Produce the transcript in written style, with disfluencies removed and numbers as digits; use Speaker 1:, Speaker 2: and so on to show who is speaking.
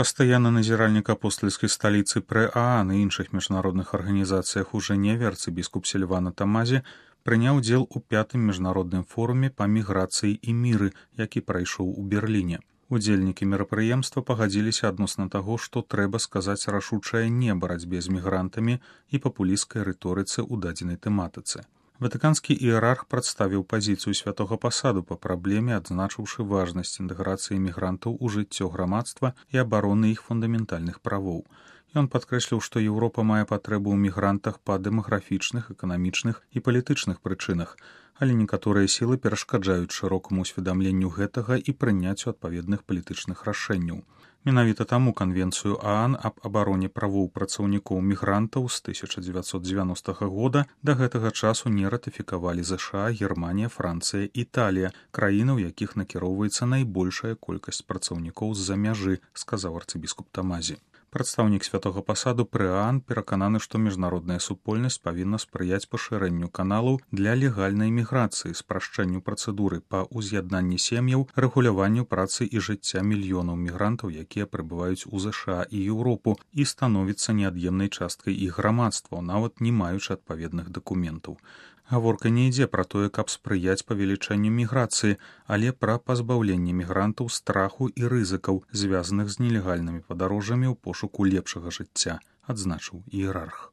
Speaker 1: Пастаянны назіральнік апостальскай сталіцы пры ААН і іншых міжнародных арганізацыях у Жэневе арцыбіскуп Сільвана Тамазі прыняў удзел у 5-м міжнародным форуме па міграцыі і міры, які прайшоў у Берліне. Удзельнікі мерапрыемства пагадзіліся адносна таго, што трэба сказаць рашучае не барацьбе з мігрантамі і папулісцкай рыторыцы ў дадзенай тэматыцы. Ватыканскі іерарх прадставіў пазіцыю святога пасаду па праблеме, адзначыўшы важнасць інтэграцыі мігрантаў у жыццё грамадства і абароны іх фундаментальных правоў. Ён падкрэсліў, што Еўропа мае патрэбу ў мігрантах па дэмаграфічных, эканамічных і палітычных прычынах, але некаторыя сілы перашкаджаюць шырокаму ўсведамленню гэтага і прыняццю адпаведных палітычных рашэнняў. Менавіта таму канвенцыю ААН аб абароне правоў працаўнікоў мігрантаў з 1990 года да гэтага часу не ратыфікавалі ЗША, Германія, Францыя, Італія, краіны, у якіх накіроўваецца найбольшая колькасць працаўнікоў з-за мяжы, сказаў арцыбіскуп Тамазі. Прадстаўнік святога пасаду пры ААН перакананы, што міжнародная супольнасць павінна спрыяць пашырэнню каналаў для легальнай міграцыі, спрашчэнню працэдуры па ўз'яднанні сем'яў, рэгуляванню працы і жыцця мільёнаў мігрантаў, якія прыбываюць у ЗША і Еўропу і становяцца неад'емнай часткай іх грамадства, нават не маючы адпаведных дакументаў. Гаворка не ідзе пра тое, каб спрыяць павелічэнню міграцыі, але пра пазбаўленне мігрантаў страху і рызыкаў, звязаных з нелегальнымі падарожжамі ў пошуку лепшага жыцця, адзначыў іерарх.